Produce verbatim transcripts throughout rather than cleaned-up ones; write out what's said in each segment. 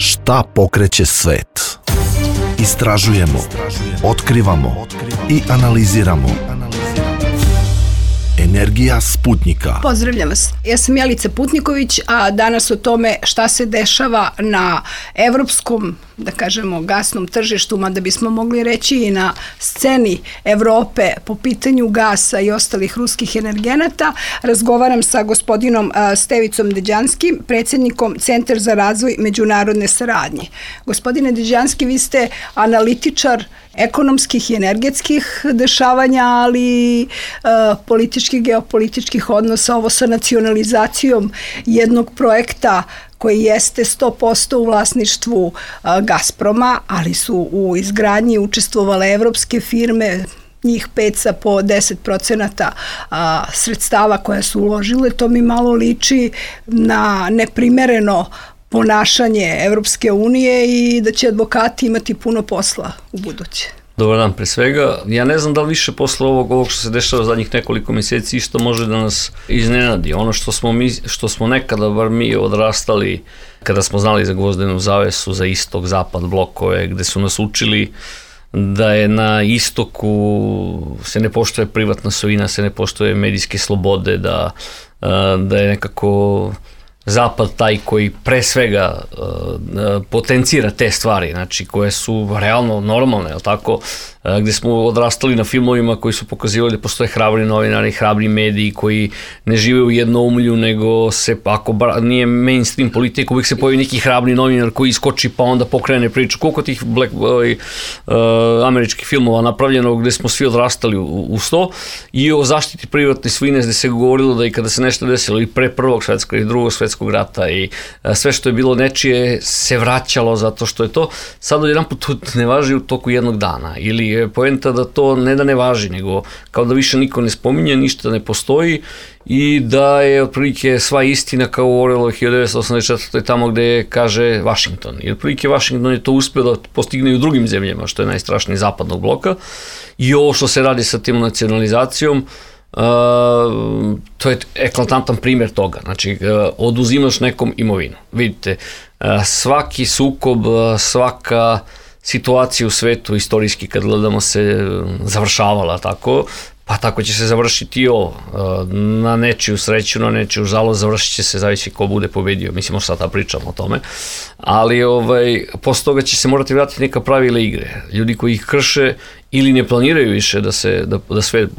Šta pokreće svet? Istražujemo, otkrivamo i analiziramo. Energija Sputnika. Pozdravljam vas. Ja sam Jelica Putniković, a danas o tome šta se dešava na evropskom, da kažemo, gasnom tržištu, mada bismo mogli reći i na sceni Evrope po pitanju gasa i ostalih ruskih energenata. Razgovaram sa gospodinom Stevicom Deđanskim, predsjednikom Centra za razvoj međunarodne saradnje. Gospodine Deđanski, vi ste analitičar ekonomskih i energetskih dešavanja, ali e, političkih, geopolitičkih odnosa, ovo sa nacionalizacijom jednog projekta koji jeste sto posto u vlasništvu a, Gazproma, ali su u izgradnji učestvovale evropske firme, njih pet sa po deset procenata a, sredstava koja su uložile. To mi malo liči na neprimereno ponašanje Evropske unije i da će advokati imati puno posla u buduće. Dobar dan, pre svega. Ja ne znam da li više posle ovog, ovog što se dešava zadnjih nekoliko mjeseci isto može da nas iznenadi. Ono što smo, mi, što smo nekada, bar mi, odrastali, kada smo znali za gvozdenu zavesu, za istok, zapad, blokove, gde su nas učili da je na istoku se ne poštuje privatna svojina, se ne poštuje medijske slobode, da, da je nekako zapad taj koji pre svega uh, potencira te stvari, znači koje su realno normalne, je li tako, uh, gde smo odrastali na filmovima koji su pokazivali da postoje hrabri novinari, hrabri mediji koji ne žive u jednoumlju, nego se, ako bar, nije mainstream politika, uvijek se pojavi neki hrabri novinar koji iskoči pa onda pokrene priču. Koliko tih black, uh, američkih filmova napravljeno gde smo svi odrastali u, u sto, i o zaštiti privatne svojine gde se govorilo da i kada se nešto desilo i pre prvog svetskog i drugog svetskog rata i sve što je bilo nečije se vraćalo zato što je to sad odjedan put ne važi u toku jednog dana, ili je poenta da to ne da ne važi, nego kao da više niko ne spominje, ništa ne postoji i da je otprilike sva istina kao u Orwellovoj hiljadu devetsto osamdeset četvrtoj tamo gde kaže Washington. I otprilike Washington je to uspio da postigne i u drugim zemljama, što je najstrašniji zapadnog bloka, i ovo što se radi sa tim nacionalizacijom, Uh, to je eklatantan primjer toga. Znači, uh, oduzimaš nekom imovinu. Vidite, uh, svaki sukob, uh, svaka situacija u svetu istorijski kad gledamo se uh, završavala tako, pa tako će se završiti i ovo. Uh, na nečiju sreću, na nečiju žalost završit će se, zavisi ko bude pobedio. Mislim, možda sada pričamo o tome. Ali ovaj, posle toga će se morati vratiti neka pravila igre. Ljudi koji ih krše ili ne planiraju više da se da, da svet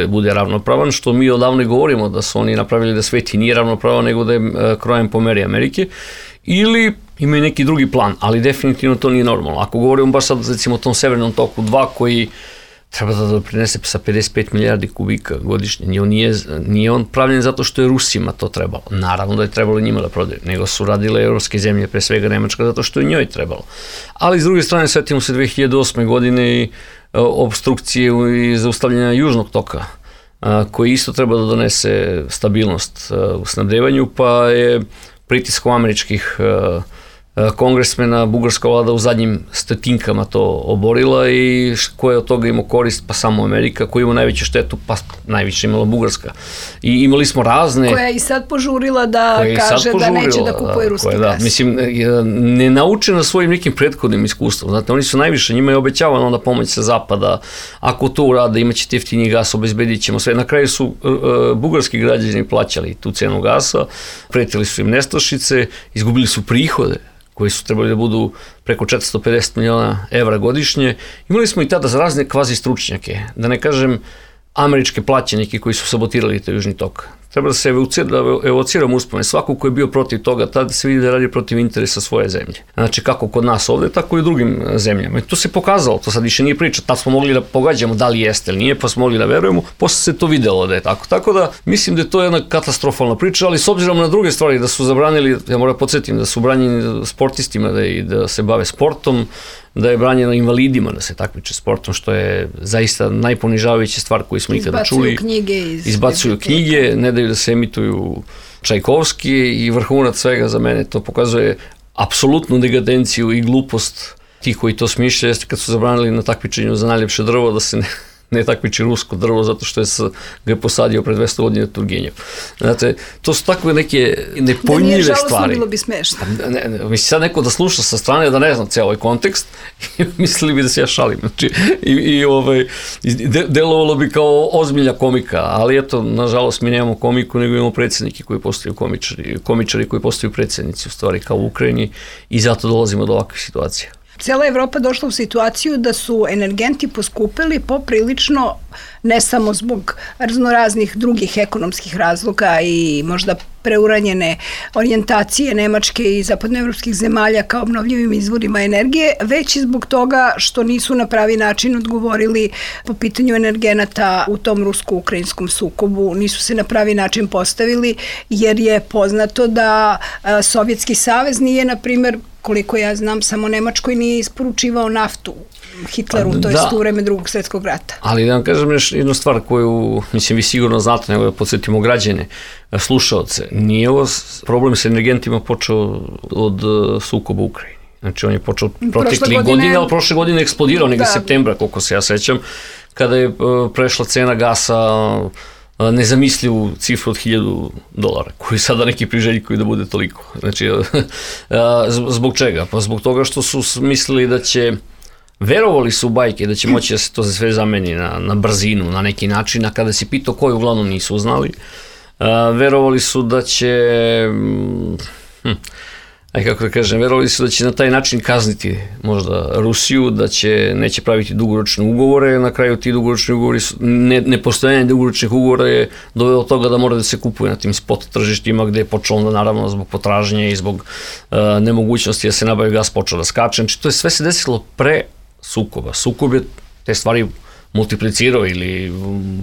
bude ravnopravan, što mi odavno govorimo da su oni napravili da svet i nije ravnopravan, nego da je uh, krojen po meri Amerike, ili imaju neki drugi plan, ali definitivno to nije normalno. Ako govorimo baš sad recimo o tom Severnom toku dva koji treba da doprinese sa pedeset pet milijardi kubika godišnje. On nije, nije on pravljen zato što je Rusima to trebalo. Naravno da je trebalo njima da prodaju, nego su radile evropske zemlje, pre svega Nemačka, zato što je njoj trebalo. Ali s druge strane, svetimo se dve hiljade osme godine i obstrukcije i zaustavljanja južnog toka, koji isto treba da donese stabilnost u snabdevanju, pa je pritiskom američkih kongresmena bugarska vlada u zadnjim stotinkama to oborila, i ko je od toga imao korist? Pa samo Amerika. Ko ima najveću štetu? Pa najviše imala Bugarska. I imali smo razne... Koja je i sad požurila da kaže da neće da kupuje ruski gas. Da, mislim, ne nauče na svojim nekim prethodnim iskustvom. Znate, oni su najviše, njima je obećavano onda pomoć sa zapada. Ako to urade, imaće jeftiniji gas, obezbedit ćemo sve. Na kraju su uh, bugarski građani plaćali tu cenu gasa, pretili su im nestašice, izgubili su prihode koji su trebali da budu preko četiristo pedeset miliona evra godišnje. Imali smo i tada za razne kvazi stručnjake, da ne kažem američke plaćenike koji su sabotirali taj južni tok. Treba da se evociramo uspomene. Svako ko je bio protiv toga, tada se vidi da radi protiv interesa svoje zemlje. Znači, kako kod nas ovde, tako i u drugim zemljama. I to se pokazalo, to sad više nije priča. Tad smo mogli da pogađamo da li jeste ili nije, pa smo mogli da verujemo, posle se to videlo da je tako. Tako da, mislim da je to jedna katastrofalna priča, ali s obzirom na druge stvari, da su zabranili, ja moram podsjetim, da su branjeni sportistima da, i da se bave sportom, da je branjeno invalidima da se takmiče sportom, što je zaista najponižavajuća stvar koju smo ikada čuli. Izbacuju knjige iz Izbacuju knjige, ne daju da se emituju Čajkovski, i vrhunac svega za mene to pokazuje apsolutnu degadenciju i glupost tih koji to smišljaju, jeste kad su zabranili na takmičenju za najljepše drvo da se ne, ne takmiči rusko drvo zato što je s, ga je posadio pre dvesta godina Turgenjev. Znate, to su takve neke nepojmljive stvari. Da nije žalostno, bilo bi smešno. Ne, ne, misli sad neko da sluša sa strane da ne znam cijel ovaj kontekst i mislili bi da se ja šalim. Znači, i, i ovaj, de, delovalo bi kao ozbiljna komika, ali eto, nažalost, mi nemamo komiku, nego imamo predsjednike koji postaju komičari, komičari koji postaju predsjednici, u stvari, kao u Ukrajini, i zato dolazimo do ovakvih situacija. Cijela Evropa došla u situaciju da su energenti poskupili poprilično, ne samo zbog raznoraznih drugih ekonomskih razloga i možda preuranjene orijentacije Nemačke i zapadnoevropskih zemalja kao obnovljivim izvorima energije, već i zbog toga što nisu na pravi način odgovorili po pitanju energenata u tom rusko-ukrajinskom sukobu, nisu se na pravi način postavili, jer je poznato da Sovjetski savez nije, na primjer, koliko ja znam, samo Nemačkoj nije isporučivao naftu Hitleru, to je u vreme drugog svjetskog rata. Ali da vam kažem još jednu stvar koju, mislim, vi sigurno znate, nego da podsjetimo građane, slušaoce, nije ovo problem sa energentima počeo od sukoba u Ukrajini. Znači, on je počeo protekli godine, ali prošle godine eksplodirao negdje septembra, koliko se ja sećam, kada je prešla cena gasa nezamislivu cifru od hiljadu dolara, koji sada neki priželjkuju da bude toliko. Znači, zbog čega? Pa zbog toga što su mislili da će, verovali su u bajke da će moći da se to sve zameni na, na brzinu, na neki način, a kada si pitao koji, uglavnom nisu znali, verovali su da će, hm, aj kako da kažem, verovali su da će na taj način kazniti možda Rusiju, da će, neće praviti dugoročne ugovore, na kraju ti dugoročni ugovori, ne, nepostojanje dugoročnih ugovora je dovelo od toga da mora da se kupuje na tim spot tržištima, gde je počelo onda naravno zbog potražnje i zbog uh, nemogućnosti da se nabavi gas počeo da skače. Znači to je sve se desilo pre sukoba. Sukob je te stvari multiplicirao ili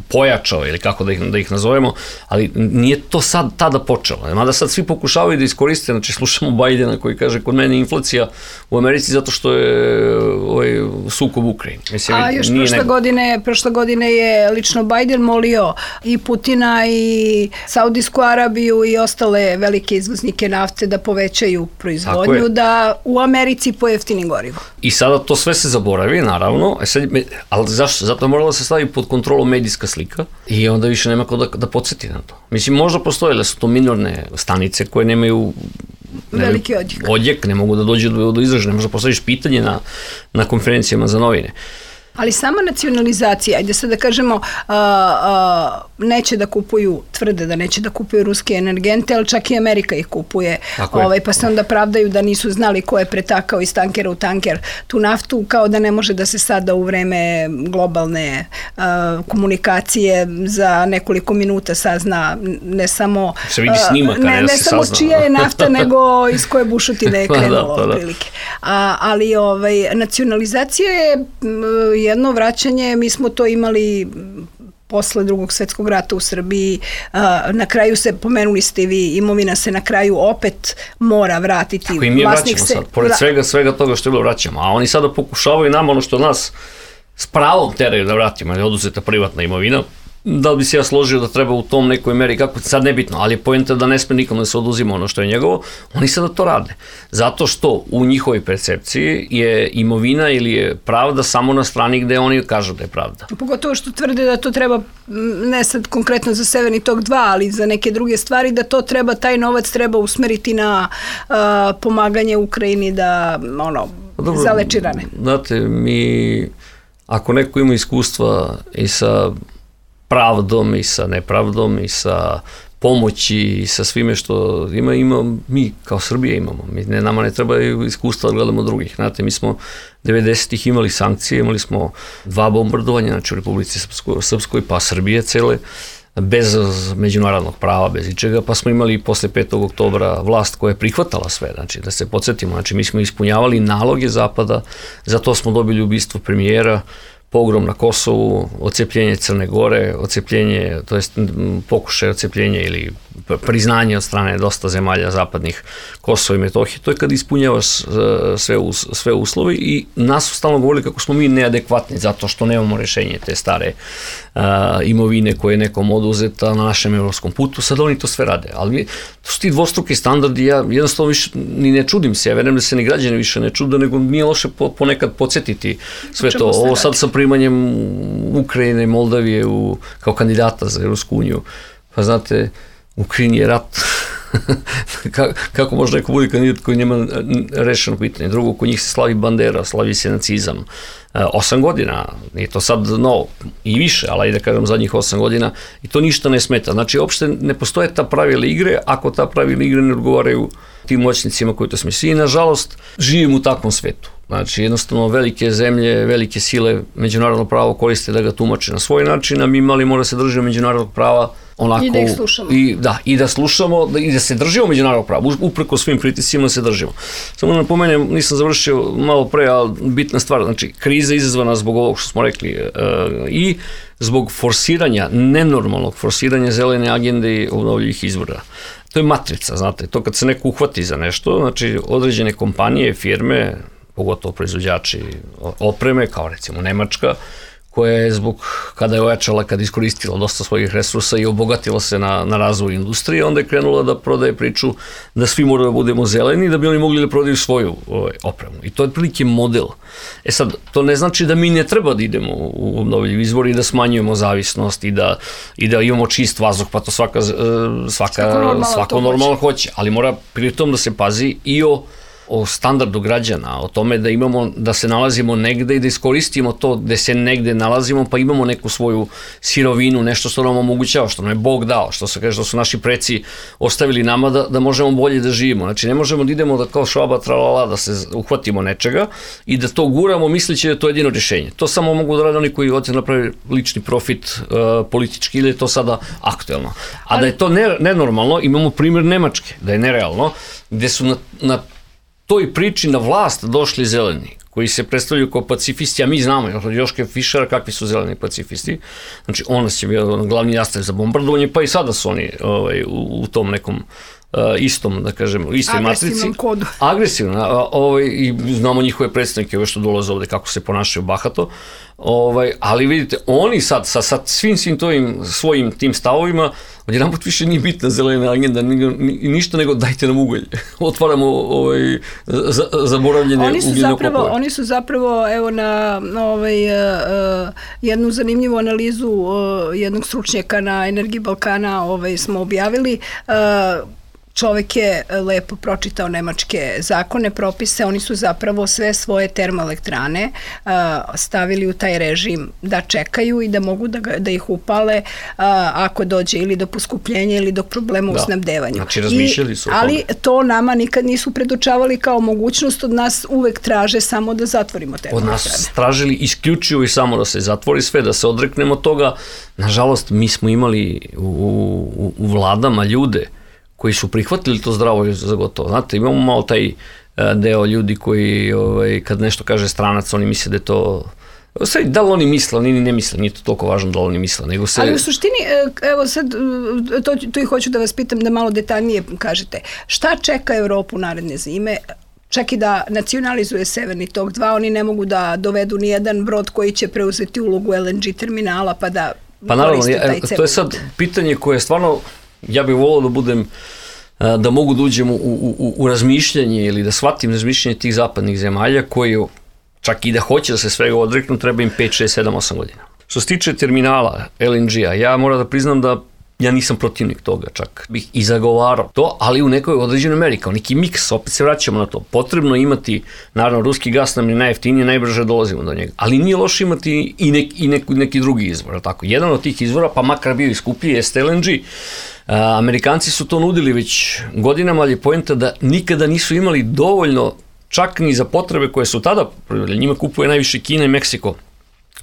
pojačao ili kako da ih, da ih nazovemo, ali nije to sad tada počelo. Mada sad svi pokušavaju da iskoriste, znači slušamo Bajdena koji kaže kod mene inflacija u Americi zato što je ovaj sukob u Ukrajini. Mislim, a još prošle nego... godine, prošle godine je lično Bajden molio i Putina i Saudijsku Arabiju i ostale velike izvoznike nafte da povećaju proizvodnju, da u Americi pojeftini gorivo. I sada to sve se zaboravi, naravno, sad, ali zašto? Zato je morala se staviti pod kontrolom medijska slika i onda više nema ko da, da podsjeti na to. Mislim, možda postoje da su to minorne stanice koje nemaju ne, veliki odjek. odjek, ne mogu da dođe do, do izražaja, možda postaviš pitanje na, na konferencijama za novine. Ali sama nacionalizacija, ajde sad da kažemo, a, a, neće da kupuju, tvrde da neće da kupuju ruske energente, ali čak i Amerika ih kupuje, ovaj, pa se onda pravdaju da nisu znali ko je pretakao iz tankera u tanker tu naftu, kao da ne može da se sada u vreme globalne a, komunikacije za nekoliko minuta sazna ne samo, se vidi snimak, ne, ne, ne samo sazna. Čija je nafta, nego iz koje bušotine je krenulo da, da, da. Prilike. A, ali ovaj, nacionalizacija je jedno vraćanje, mi smo to imali posle drugog svjetskog rata u Srbiji, na kraju se, pomenuli ste vi, imovina se na kraju opet mora vratiti. Tako i mi je vraćamo se, sad, pored svega, svega toga što je bilo vraćamo, a oni sada pokušavaju nam ono što od nas s pravom teraju da vratimo, jer je oduzeta privatna imovina. Da li bi se ja složio da treba u tom nekoj meri, kako sad nebitno, ali je poenta da ne sme nikom da se oduzima ono što je njegovo, oni sada to rade. Zato što u njihovoj percepciji je imovina ili je pravda samo na strani gde oni kažu da je pravda. Pogotovo što tvrde da to treba, ne sad konkretno za Severni tok dva, ali za neke druge stvari, da to treba, taj novac treba usmeriti na uh, pomaganje Ukrajini da, ono, dobro, zaleči rane. Znate, mi, ako neko ima iskustva i sa pravdom i sa nepravdom i sa pomoći i sa svime što ima, ima mi kao Srbija imamo. Mi, ne, nama ne treba iskustva da gledamo drugih. Znate, mi smo devedesetih imali sankcije, imali smo dva bombardovanja, znači u Republici Srpskoj, Srpskoj pa Srbije cele, bez međunarodnog prava, bez ičega, pa smo imali posle petog oktobra vlast koja je prihvatala sve, znači da se podsjetimo, znači mi smo ispunjavali naloge Zapada, zato smo dobili ubistvo premijera, pogrom na Kosovu, odcepljenje Crne Gore, odcepljenje, to jest pokušaj odcepljenja ili priznanje od strane dosta zemalja zapadnih Kosova i Metohije, to je kad ispunjavaš sve, sve uslovi i nas su stalno govorili kako smo mi neadekvatni zato što nemamo rešenje te stare uh, imovine koje je nekom oduzeta na našem evropskom putu, sad oni to sve rade, ali to su ti dvostruki standardi, ja jednostavno više ni ne čudim se, ja verujem da se ni građani više ne čude, nego nije loše po, ponekad podsjetiti sve to, ovo sad sa primanjem Ukrajine i Moldavije u, kao kandidata za Evropsku uniju. Pa znate, u Ukrajini je rat. Kako može neko bude kandidat koji nema rešeno pitanje? Drugo, kod njih se slavi bandera, slavi se nacizam. Osam godina, nije to sad novo, i više, ali da kažem zadnjih osam godina, i to ništa ne smeta. Znači, uopšte ne postoje ta pravila igre, ako ta pravila igre ne odgovaraju tim moćnicima koji to smisli. I, nažalost, živimo u takvom svetu. Znači, jednostavno, velike zemlje, velike sile, međunarodno pravo koriste da ga tumače na svoj način, a mi mali mora se držati međunarodnog prava onako, i da ih slušamo. I da, i da slušamo, da, i da se držimo međunarodnog prava, upreko svim pritiscima da se držimo. Samo da napomenem, nisam završio malo pre, ali bitna stvar, znači, kriza izazvana zbog ovog što smo rekli e, i zbog forsiranja, nenormalnog forsiranja zelene agende i obnovljivih izvora. To je matrica, znate, to kad se neko uhvati za nešto, znači, određene kompanije, firme, pogotovo proizvođači opreme, kao recimo Nemačka, koja je zbog, kada je ojačala, kada je iskoristila dosta svojih resursa i obogatila se na, na razvoj industrije, onda je krenula da prodaje priču da svi moraju da budemo zeleni, da bi oni mogli da prodaju svoju ovaj, opremu. I to je prilike model. E sad, to ne znači da mi ne treba da idemo u obnovljivi izvor i da smanjujemo zavisnost i da, i da imamo čist vazduh, pa to svaka, svaka, normalno, svako normalno hoće. Ali mora pritom da se pazi i o o standardu građana, o tome da imamo, da se nalazimo negde i da iskoristimo to gde se negde nalazimo, pa imamo neku svoju sirovinu, nešto što nam omogućava, što nam je Bog dao, što se kaže, što su naši preci ostavili nama da, da možemo bolje da živimo. Znači, ne možemo da idemo da kao švaba tralala, da se uhvatimo nečega i da to guramo misleći da je to jedino rješenje. To samo mogu da rade oni koji hoće napravi lični profit uh, politički ili je to sada aktuelno. A da je to ne, nenormalno, imamo primjer Nemačke, da je nerealno, gde su na, na toj priči na vlast došli zeleni, koji se predstavljaju kao pacifisti, a mi znamo, Joške Fišera, kakvi su zeleni pacifisti. Znači, on će bio glavni jastav za bombardovanje, pa i sada su oni ovaj, u, u tom nekom uh, istom, da kažemo, istoj matrici. Agresivnom kodu. Agresivno, ovaj, i znamo njihove predstavnike, ove što dolaze ovde, kako se ponašaju bahato. Ovaj, ali vidite, oni sad, sa, sa svim svim tojim, svojim tim stavovima, odjedanput više nije bitna zelena agenda, ni, ni, ništa nego dajte nam ugalj. Otvaramo ovaj, za, zaboravljene ugljene kopove. Oni su zapravo, evo na ovaj, uh, jednu zanimljivu analizu uh, jednog stručnjaka na Energiji Balkana ovaj, smo objavili. Uh, Čovek je lepo pročitao nemačke zakone, propise, oni su zapravo sve svoje termoelektrane uh, stavili u taj režim da čekaju i da mogu da, ga, da ih upale uh, ako dođe ili do poskupljenja ili do problema da. u snabdevanju. Znači razmišljali su I, ali to nama nikad nisu predočavali kao mogućnost, od nas uvek traže samo da zatvorimo termoelektrane. Od nas tražili isključivo i samo da se zatvori sve, da se odreknemo toga. Nažalost, mi smo imali u, u, u vladama ljude koji su prihvatili to zdravo za gotovo. Znate, imamo malo taj deo ljudi koji, ovaj, kad nešto kaže stranac, oni misle da je to... Sve, da li oni misle, oni ne misle, nije to toliko važno da li oni misle, nego se... Ali u suštini, evo sad, to, to i hoću da vas pitam da malo detaljnije kažete. Šta čeka Evropu naredne zime? Čak i da nacionalizuje Severni tok dva, oni ne mogu da dovedu ni jedan brod koji će preuzeti ulogu L N G terminala, pa da pa naravno, ja, to je sad pitanje koje je stvarno, ja bih volio da budem, da mogu da uđem u, u, u razmišljanje ili da shvatim razmišljanje tih zapadnih zemalja koji čak i da hoće da se svega odreknu, treba im pet, šest, sedam, osam godina. Što se tiče terminala L N G-a, ja moram da priznam da ja nisam protivnik toga, čak bih i zagovarao to, ali u nekoj određenoj meri, kao neki miks, opet se vraćamo na to. Potrebno imati, naravno, ruski gas nam je najjeftiniji, najbrže dolazimo do njega, ali nije loše imati i, nek, i neki, neki drugi izvor, tako. Jedan od tih izvora, pa makar bio i skuplji, jeste L N G. Amerikanci su to nudili već godinama, ali je poenta da nikada nisu imali dovoljno, čak ni za potrebe koje su tada, njima kupuje najviše Kina i Meksiko.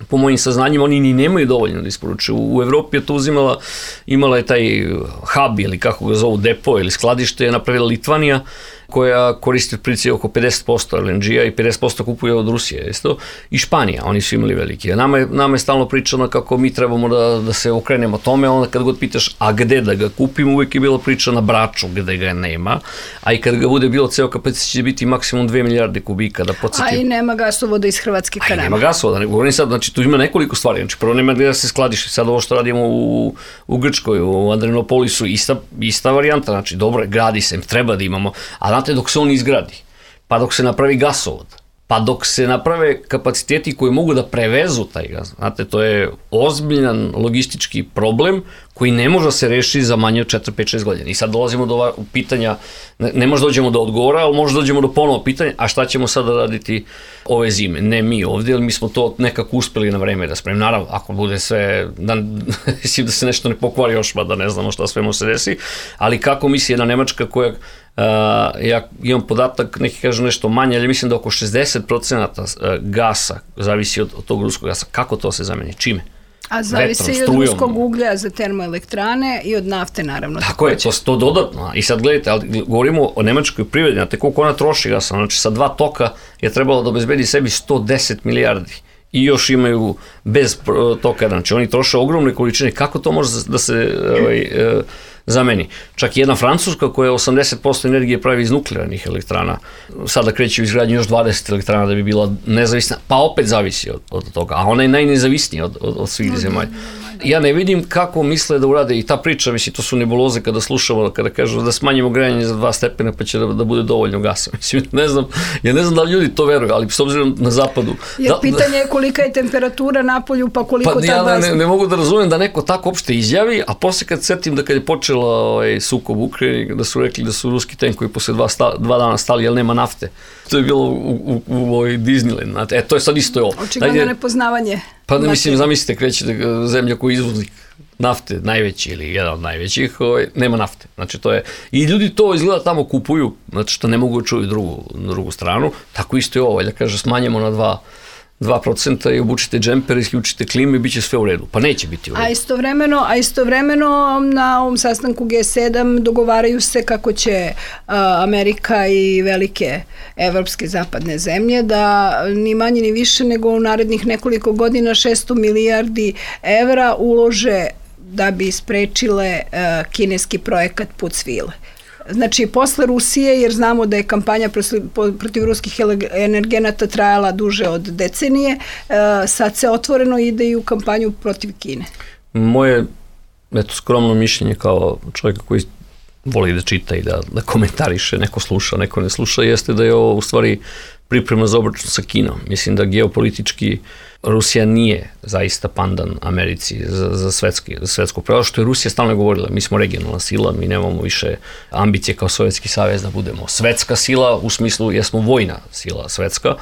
Po mojim saznanjima, oni ni nemaju dovoljno da isporučuju. U Evropi je to uzimala, imala je taj hub ili kako ga zovu depo ili skladište je napravila Litvanija, koja koristi otprilike oko pedeset posto L N G-a i pedeset posto kupuje od Rusije, isto, i Španija, oni su imali veliki. Nama je, nama je stalno pričano kako mi trebamo da, da se okrenemo tome, onda kad god pitaš, a gde da ga kupimo, uvijek je bilo priča na Braču gde ga nema, a i kad ga bude bilo ceo kapacitet će biti maksimum dve milijarde kubika, da podsjetim. A i nema gasovoda iz Hrvatske ka nama. A i nema gasovoda, ne govorim sad, znači tu ima nekoliko stvari, znači prvo nema gde da se skladiši, sad ovo što radimo u, u Grčkoj, u Adrianopolisu, ista, ista varijanta, znači dobro, gradi se, treba da imamo, a znate, dok se on izgradi, pa dok se napravi gasovod, pa dok se naprave kapaciteti koji mogu da prevezu taj gas. Znate, to je ozbiljan logistički problem koji ne može da se reši za manje od četiri, pet, šest godina. I sad dolazimo do pitanja, ne, ne možda dođemo do odgovora, ali možda dođemo do ponovo pitanja, a šta ćemo sada raditi ove zime? Ne mi ovdje, ali mi smo to nekako uspeli na vreme da spremimo. Naravno, ako bude sve, da, da se nešto ne pokvari još, pa da ne znamo šta sve mu se desi, ali kako misli jedna Nemačka koja, uh, ja imam podatak, neki kažu nešto manje, ali mislim da oko šezdeset procenata gasa zavisi od, od tog ruskog gasa. Kako to se zameni? Čime? A zavisi i od ruskog uglja za termoelektrane i od nafte, naravno. Tako je, to, to dodatno. I sad gledajte, ali govorimo o nemačkoj privredi, znate koliko ona troši gasa, znači sa dva toka je trebalo da obezbedi sebi sto deset milijardi i još imaju bez toka, znači oni troše ogromne količine, kako to može da se ovaj, e, zameni? Čak i jedna Francuska koja osamdeset posto energije pravi iz nuklearnih elektrana, sada kreće u izgradnju još dvadeset elektrana da bi bila nezavisna, pa opet zavisi od, od toga, a ona je najnezavisnija od, od, od svih zemalja. Ja ne vidim kako misle da urade i ta priča, mislim, to su nebuloze kada slušamo, kada kažu da smanjimo grejanje za dva stepena pa će da, da bude dovoljno gasa. Mislim, ne znam, ja ne znam da li ljudi to veruju, ali s obzirom na zapadu. Jer da, pitanje je kolika je temperatura na polju, pa koliko pa, ta ja gasa. Ne, ne mogu da razumem da neko tako uopšte izjavi, a posle kad setim da kad je počela ovaj, sukob u Ukrajini, da su rekli da su ruski tenkovi posle dva, sta, dva dana stali, jer nema nafte. To je bilo u, u, u, u Disneyland. E, to je sad isto je ovo. Očigledno nepoznavanje. Pa ne mislim, zamislite, krećete zemlja koji je izvoznik nafte, najveći ili jedan od najvećih, ovaj, nema nafte. Znači to je, i ljudi to izgleda tamo kupuju, znači što ne mogu čuju drugu, drugu stranu, tako isto je ovo, da kaže smanjemo na dva, dva procenta i obučite džemper, isključite klimu i bit će sve u redu. Pa neće biti u redu. A istovremeno, a istovremeno na ovom sastanku G sedam dogovaraju se kako će a, Amerika i velike evropske zapadne zemlje da ni manje ni više nego u narednih nekoliko godina šesto milijardi evra ulože da bi sprečile a, kineski projekat Put svile. Znači, posle Rusije, jer znamo da je kampanja protiv ruskih energenata trajala duže od decenije, sad se otvoreno ide i u kampanju protiv Kine. Moje, eto, skromno mišljenje kao čovjeka koji voli da čita i da, da komentariše, neko sluša, neko ne sluša, jeste da je ovo u stvari priprema za obračun sa Kinom. Mislim da geopolitički Rusija nije zaista pandan Americi za, za, svetski, za svetsko pravo, što je Rusija stalno govorila, mi smo regionalna sila, mi nemamo više ambicije kao Sovjetski savez da budemo svetska sila, u smislu jesmo vojna sila svetska,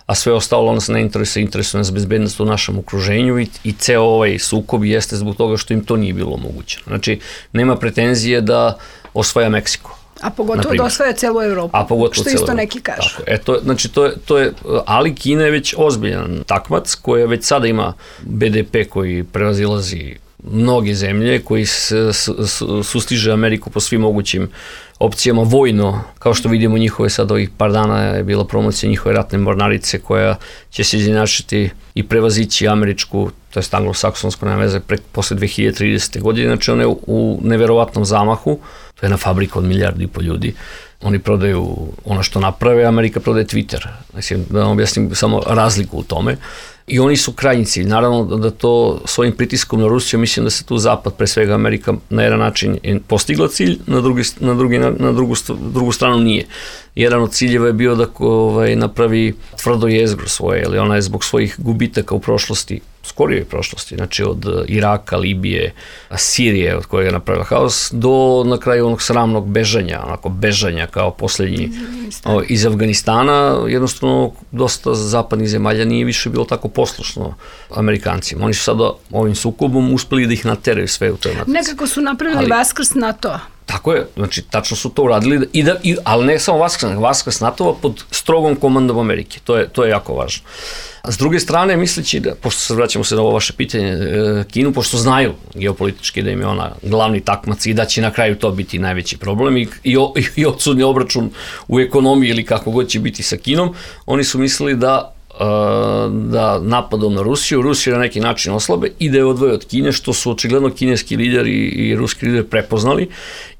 a sve ostalo nas ne interesuje, interesuje nas bezbednost u našem okruženju i, i ceo ovaj sukob jeste zbog toga što im to nije bilo omogućeno. Znači, nema pretenzije da osvaja Meksiko. A pogotovo da osvaja celu Evropu, a pogotovo što isto neki kažu. Tako, e, to, znači, to je, to je, ali Kina je već ozbiljan takmac koja već sada ima B D P koji prevazilazi mnoge zemlje, koji s, s, s, sustiže Ameriku po svim mogućim opcijama vojno, kao što vidimo njihove sad ovih par dana je bila promocija njihove ratne mornarice koja će se izjednačiti i prevazići američku, to je anglosaksonsku, nema veze, prek, posle dve hiljade tridesete godine, znači one u, u neverovatnom zamahu, to je na fabriku od milijardu i po ljudi, oni prodaju ono što naprave, Amerika prodaje Twitter, znači da vam objasnim samo razliku u tome. I oni su krajnji cilj. Naravno da to svojim pritiskom na Rusiju, mislim da se tu Zapad, pre svega Amerika, na jedan način postigla cilj, na, drugi, na, drugi, na drugu, drugu stranu nije. Jedan od ciljeva je bio da ovaj, napravi tvrdo jezgro svoje, ali ona je zbog svojih gubitaka u prošlosti, skorijoj prošlosti, znači od Iraka, Libije, Sirije, od kojeg je napravila haos, do na kraju onog sramnog bežanja, onako bežanja kao posljednji o, iz Afganistana, jednostavno dosta zapadnih zemalja nije više bilo tako poslušno Amerikancima. Oni su sada ovim sukobom uspeli da ih nateraju sve u toj matici. Nekako su napravili ali, vaskrs NATO-a. Tako je, znači tačno su to uradili, i da, i, ali ne samo vaskrs, vaskrs NATO-a pod strogom komandom Amerike, to je, to je jako važno. S druge strane, misleći da, pošto se vraćamo se na ovo vaše pitanje, Kinu, pošto znaju geopolitički da im je ona glavni takmac i da će na kraju to biti najveći problem i, i, i odsudni obračun u ekonomiji ili kako god će biti sa Kinom, oni su mislili da da napadom na Rusiju, Rusiju na neki način oslabe i da je odvoje od Kine, što su očigledno kineski lideri i ruski lideri prepoznali.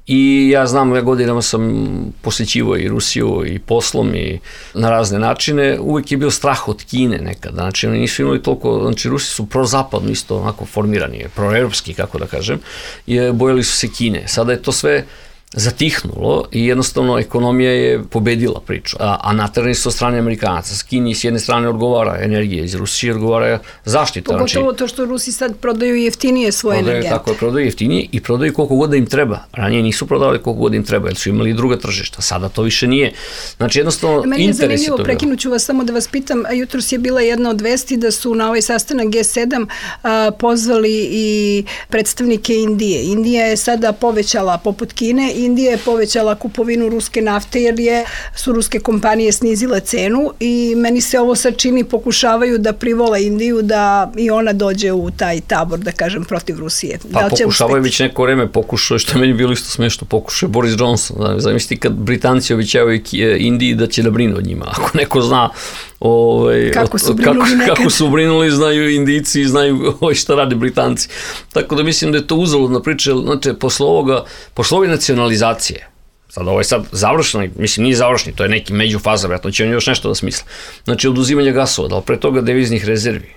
I ja znam, ja godinama sam posjećivao i Rusiju i poslom i na razne načine, uvijek je bio strah od Kine nekada, znači oni nisu imali toliko, znači Rusi su prozapadno isto onako formirani, proeuropski, kako da kažem, i bojali su se Kine. Sada je to sve zatihnulo i jednostavno ekonomija je pobedila priču. A, a naterani su od strane Amerikanaca. S Kini s jedne strane odgovara energija, iz Rusije odgovara zaštita. Pogotovo znači, to što Rusi sad prodaju jeftinije svoje prodaju, energente. Tako je, prodaju jeftinije i prodaju koliko god da im treba. Ranije nisu prodavali koliko god im treba, jer su imali druga tržišta. Sada to više nije. Znači jednostavno meni je interes je zanimljivo, toga. prekinuću vas samo da vas pitam, jutros je bila jedna od vesti da su na ovaj sastanak G sedam a, pozvali i predstavnike Indije. Indija je sada povećala, poput Kine, Indija je povećala kupovinu ruske nafte jer je, su ruske kompanije snizile cenu i meni se ovo sad čini, pokušavaju da privole Indiju da i ona dođe u taj tabor, da kažem, protiv Rusije. Pa da pokušavaju već neko vreme, pokušao, što je meni bilo isto smešno, pokušao je Boris Johnson. Zamisliti kad Britanci obećavaju Indiji da će da brinu od njima. Ako neko zna ovaj, kako, su kako, kako su brinuli, znaju Indijci i znaju ovaj, šta rade Britanci. Tako da mislim da je to uzaludna priča, znači, posle ovoga, posle ove nacionalizacije, sad ovo je sad završeno, mislim nije završeno, to je neki međufaza, vjerojatno će on još nešto da smisle. Znači oduzimanje gasova, ali pre toga deviznih rezervi.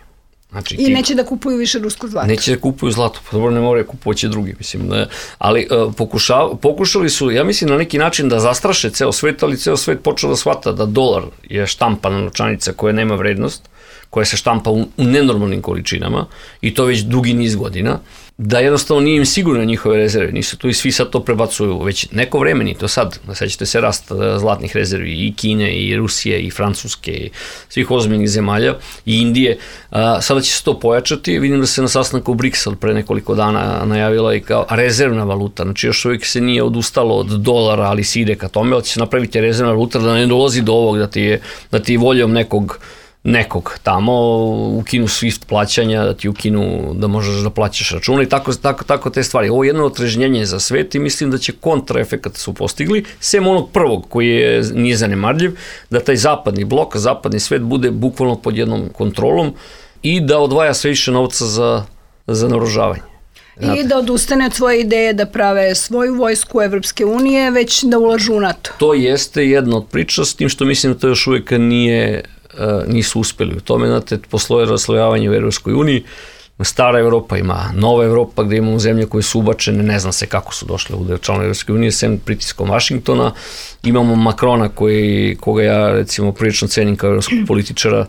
Znači, I neće da kupuju više rusko zlato. Neće da kupuju zlato, pa dobro ne moraju kupovaće drugi, mislim. Ne. Ali uh, pokuša, pokušali su, ja mislim, na neki način da zastraše ceo svet, ali ceo svet počeo da shvata da dolar je štampana novčanica koja nema vrednost, koja se štampa u, u nenormalnim količinama i to već dugi niz godina, da jednostavno nije im sigurno njihove rezerve, nisu tu i svi sad to prebacuju već neko vreme, ni to sad, sećate se rast zlatnih rezervi i Kine i Rusije i Francuske i svih ozbiljnih zemalja i Indije, a, sada će se to pojačati, vidim da se na sastanku u Briksa pre nekoliko dana najavila i kao rezervna valuta, znači još uvijek se nije odustalo od dolara, ali se ide ka tome, ali će se napraviti rezervna valuta da ne dolazi do ovog, da ti je, da ti je voljom nekog nekog tamo, ukinu Swift plaćanja, da ti ukinu da možeš da plaćaš račune i tako, tako, tako te stvari. Ovo je jedno otrežnjenje za svet i mislim da će kontraefekat su postigli, sem onog prvog koji je, nije zanemarljiv, da taj zapadni blok, zapadni svet bude bukvalno pod jednom kontrolom i da odvaja sve više novca za, za naoružavanje. Znate. I da odustane od svoje ideje da prave svoju vojsku Evropske unije, već da ulažu u NATO. To jeste jedna od priča, s tim što mislim da to još uvijek nije nisu uspeli u tome, znate, posloje raslojavanje u Evropskoj uniji, stara Evropa ima nova Evropa gde imamo zemlje koje su ubačene, ne znam se kako su došle u članove Evropske unije, sem pritiskom Vašingtona, imamo Makrona koji, koga ja recimo prilično cenim kao evropskog političara,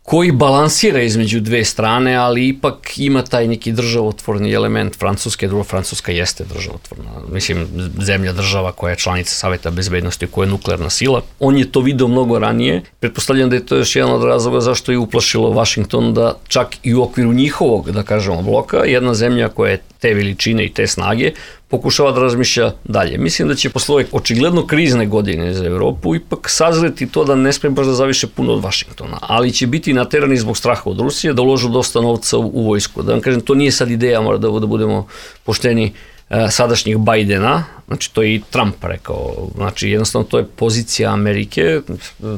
koji balansira između dve strane, ali ipak ima taj neki državotvorni element Francuske, drugo Francuska jeste državotvorna, mislim zemlja država koja je članica Saveta bezbednosti, koja je nuklearna sila. On je to video mnogo ranije, pretpostavljam da je to još jedan od razloga zašto je uplašilo Vašington da čak i u okviru njihovog, da kažemo, bloka, jedna zemlja koja je te veličine i te snage, pokušava da razmišlja dalje. Mislim da će posle ove očigledno krizne godine za Evropu ipak sazreti to da ne sme baš da zaviše puno od Vašingtona, ali će biti naterani zbog straha od Rusije da uložu dosta novca u, u vojsku. Da vam kažem, to nije sad ideja, mora da, da budemo pošteni, sadašnjih Bajdena, znači to je i Trump rekao, znači jednostavno to je pozicija Amerike,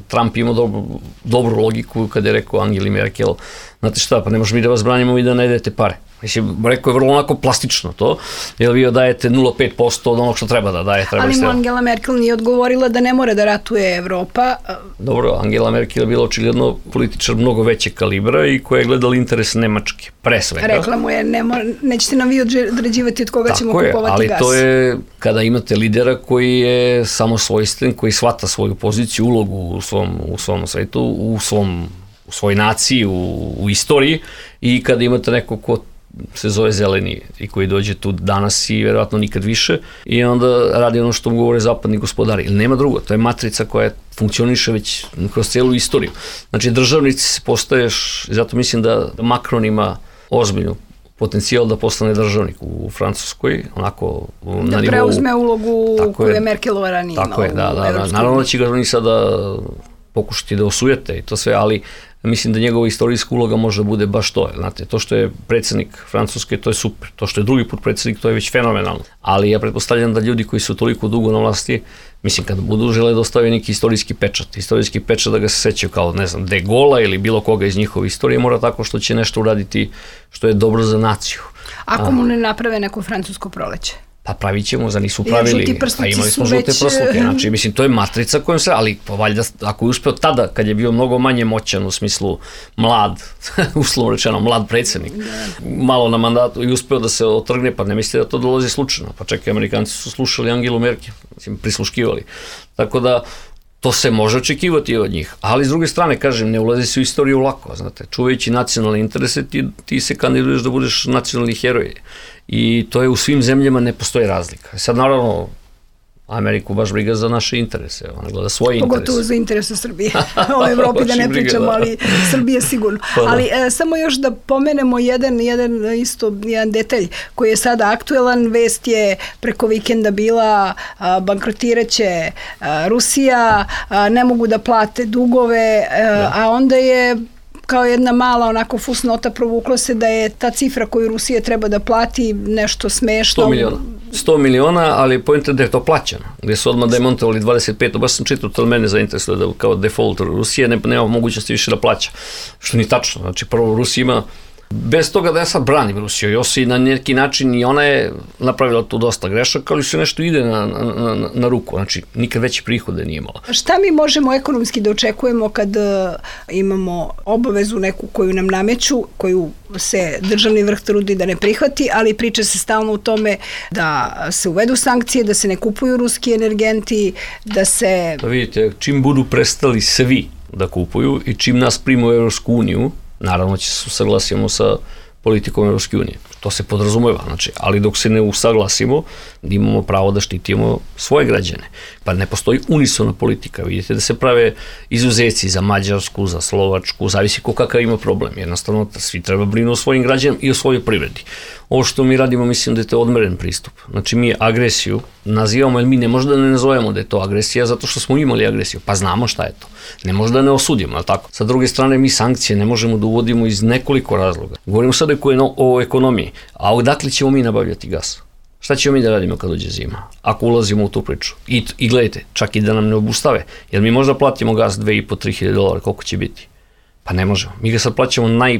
Trump ima dobro, dobru logiku kada je rekao Angeli Merkel, znate šta, pa ne možemo mi da vas branimo i da ne dajete pare. Mislim, rekao je vrlo onako plastično to, jer vi dajete nula zarez pet posto od onog što treba da daje. Treba ali ste... Angela Merkel nije odgovorila da ne mora da ratuje Evropa. Dobro, Angela Merkel je bila očigledno političar mnogo većeg kalibra i koja je gledala interes Nemačke, pre svega. Rekla mu je, ne mora, nećete nam vi određivati od koga tako ćemo je, kupovati gas. Ali to je kada imate lidera koji je samosvojstven, koji shvata svoju poziciju, ulogu u svom, u svom svetu, u, svom, u svoj naciji, u, u istoriji i kada imate neko ko se zove Zeleni i koji dođe tu danas i verovatno nikad više i onda radi ono što mu govore zapadni gospodari. Ili nema drugo, to je matrica koja funkcioniše već kroz celu istoriju. Znači državnici se postaješ, zato mislim da Macron ima ozbiljnu potencijal da postane državnik u Francuskoj, onako na nivou... Da preuzme ulogu koju je Merkelova ranije imala. Tako je, da, da, da. Naravno da će ga oni sada pokušati da osujete i to sve, ali mislim da njegova istorijska uloga može da bude baš to. Znate, to što je predsjednik Francuske, to je super. To što je drugi put predsjednik, to je već fenomenalno. Ali ja pretpostavljam da ljudi koji su toliko dugo na vlasti, mislim, kad budu žele da ostave neki istorijski pečat, istorijski pečat da ga se sećaju kao, ne znam, De Gola ili bilo koga iz njihove istorije, mora tako što će nešto uraditi što je dobro za naciju. Ako mu ne naprave neko francusko proleće? pa pravit ćemo, za nisu pravili, a imali smo žute već... prsluke, znači, mislim, to je matrica kojom se, ali valjda, ako je uspeo tada, kad je bio mnogo manje moćan, u smislu mlad, uslovno rečeno, mlad predsjednik, malo na mandatu i uspeo da se otrgne, pa ne mislite da to dolazi slučajno, pa čekaj, Amerikanci su slušali Angelu Merkel, mislim, prisluškivali, tako da, to se može očekivati od njih, ali s druge strane, kažem, ne ulazi se u istoriju lako, znate, čuvajući nacionalne interese, ti, ti se kandiduješ da budeš nacionalni heroj i to je u svim zemljama, ne postoji razlika. Sad, naravno, Ameriku baš briga za naše interese, ona gleda svoje interese. Pogotovo za interese Srbije, o Evropi da ne pričamo, ali Srbije sigurno. Ali e, samo još da pomenemo jedan, jedan, isto, jedan detalj koji je sada aktuelan, vest je preko vikenda bila, a, bankrotiraće a, Rusija, a, ne mogu da plate dugove, a, a onda je kao jedna mala onako fusnota provuklo se da je ta cifra koju Rusija treba da plati nešto smešno. sto miliona. sto miliona, ali pojenta je da je to plaćano, gdje su odmah demontovali dvadeset pet, baš sam čitao, to mene zainteresuje da kao default Rusije ne, nema mogućnosti više da plaća, što ni tačno, znači prvo Rusija ima, bez toga da ja sad branim Rusiju, Josi na neki način i ona je napravila tu dosta grešaka, ali se nešto ide na, na, na, na ruku, znači nikad veće prihode nije imala. Šta mi možemo ekonomski da očekujemo kad uh, imamo obavezu neku koju nam nameću, koju se državni vrh trudi da ne prihvati, ali priča se stalno u tome da se uvedu sankcije, da se ne kupuju ruski energenti, da se... Da vidite, čim budu prestali svi da kupuju i čim nas primu u Evropsku uniju, naravno će se usaglasimo sa politikom Evropske unije. To se podrazumeva, znači, ali dok se ne usaglasimo, imamo pravo da štitimo svoje građane. Pa ne postoji unisona politika. Vidite da se prave izuzeci za Mađarsku, za Slovačku, zavisi ko kakav ima problem. Jednostavno, svi treba brinu o svojim građanima i o svojoj privredi. Ovo što mi radimo, mislim da je to odmeren pristup. Znači, mi agresiju nazivamo, jer mi ne možda ne nazovemo da je to agresija, zato što smo imali agresiju, pa znamo šta je to. Ne možda ne osudimo, ali tako. Sa druge strane, mi sankcije ne možemo da uvodimo iz nekoliko razloga. Govorimo sad o ekonomiji, a odakle ćemo mi nabavljati gas? Šta ćemo mi da radimo kad dođe zima, ako ulazimo u tu priču? I, i gledajte, čak i da nam ne obustave, jer mi možda platimo gas dve i po, tri hiljade dolara, koliko će biti? Pa ne možemo. Mi ga sad plaćamo naj...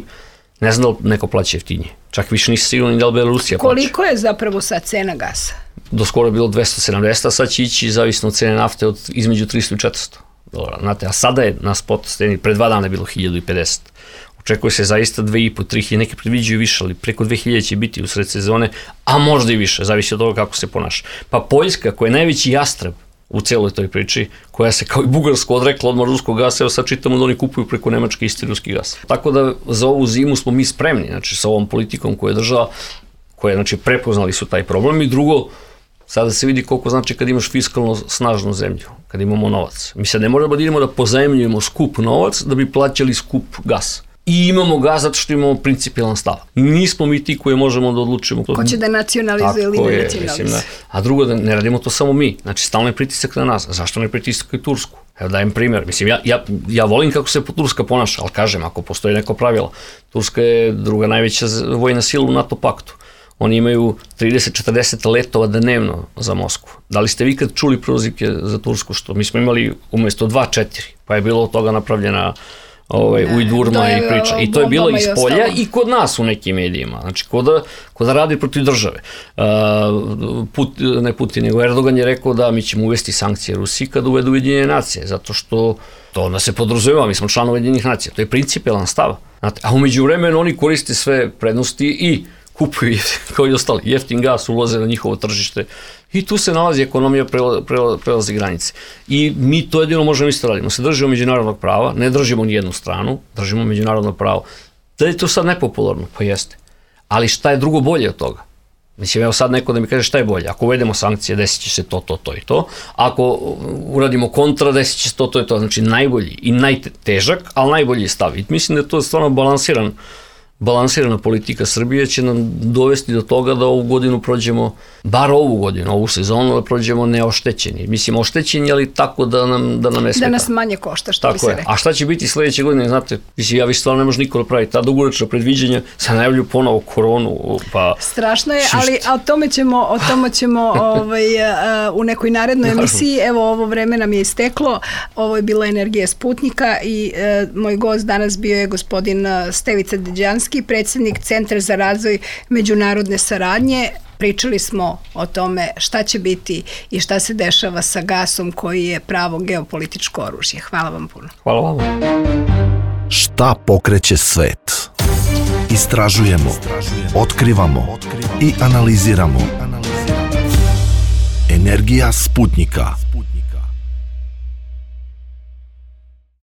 Ne znam da li neko plaća jeftinije. Čak više nisi sigurno ni da li Belorusija plaća. Koliko je zapravo sad cena gasa? Do skoro je bilo dvesta sedamdeset, a sad će ići zavisno od cene nafte od između tristo i četiristo dolara. Znate, a sada je na spot steni, pre dva dana je bilo hiljadu pedeset. Očekuje se zaista dve i po, tri hiljade, neki predviđaju više, ali preko dve hiljade će biti u sred sezone, a možda i više, zavisi od toga kako se ponaša. Pa Poljska, koja je najveći jastreb u celoj toj priči, koja se kao i Bugarsko odrekla odmah ruskog gasa, evo sad čitamo da oni kupuju preko Nemačke isti ruski gas. Tako da za ovu zimu smo mi spremni, znači sa ovom politikom koja je država, koja znači prepoznali su taj problem i drugo, sada se vidi koliko znači kad imaš fiskalno snažnu zemlju, kad imamo novac. Mi sad ne moramo da idemo da pozajmljujemo skup novac da bi plaćali skup gas. I imamo gas zato što imamo principijalan stav. Nismo mi ti koji možemo da odlučimo. Ko će da nacionalizuje ili ne nacionalizuje. A drugo, da ne radimo to samo mi. Znači, stalno je pritisak na nas. Zašto ne pritisak i Tursku? Evo dajem primjer. Mislim, ja, ja, ja volim kako se Turska ponaša, ali kažem, ako postoji neko pravilo. Turska je druga najveća vojna sila u NATO paktu. Oni imaju trideset do četrdeset letova dnevno za Moskvu. Da li ste vi kad čuli prozivke za Tursku? Što mi smo imali umjesto dva, četiri. Pa je bilo od toga napravljena Ovaj, ujdurma i priča. I to je bilo iz polja i kod nas u nekim medijima. Znači, ko da, ko da radi protiv države. Uh, Put, ne Putin, nego Erdogan je rekao da mi ćemo uvesti sankcije Rusiji kad uvedu Ujedinjene nacije, zato što to onda se podrazumeva, mi smo članovi Ujedinjenih nacija. To je principijalan stav. Znate, a umeđu vremenu oni koriste sve prednosti i kupuju, kao i ostali, jeftin gas, ulaze na njihovo tržište i tu se nalazi ekonomija, prelazi granice. I mi to jedino možemo isto radimo. Se držimo međunarodnog prava, ne držimo ni jednu stranu, držimo međunarodno pravo. Da je to sad nepopularno? Pa jeste. Ali šta je drugo bolje od toga? Mislim, evo sad neko da mi kaže šta je bolje. Ako uvedemo sankcije, desit će se to, to, to i to. Ako uradimo kontra, desit će se to, to i to. Znači najbolji i najtežak, ali najbolji stav. I mislim da je to stvarno balansiran balansirana politika Srbije će nam dovesti do toga da ovu godinu prođemo, bar ovu godinu, ovu sezonu, da prođemo neoštećeni. Mislim, oštećeni, ali tako da nam, da nam ne smeta. Da nas manje košta, što tako bi se je. rekao. A šta će biti sledeće godine, znate, mislim, ja vi stvarno ne može niko da pravi ta dugoročna predviđenja, se najavljuju ponovo koronu, pa... Strašno je, ali o tome ćemo, o tome ćemo ovaj, u nekoj narednoj emisiji. Evo, ovo vreme nam je isteklo. Ovo je bila Energija Sputnika i e, moj gost danas bio je gospodin Stevica Deđanski, predsjednik Centra za razvoj međunarodne saradnje, Pričali smo o tome šta će biti i šta se dešava sa gasom koji je pravo geopolitičko oružje. Hvala vam puno. Hvala vam. Šta pokreće svet? Istražujemo, otkrivamo i analiziramo. Energija Sputnika.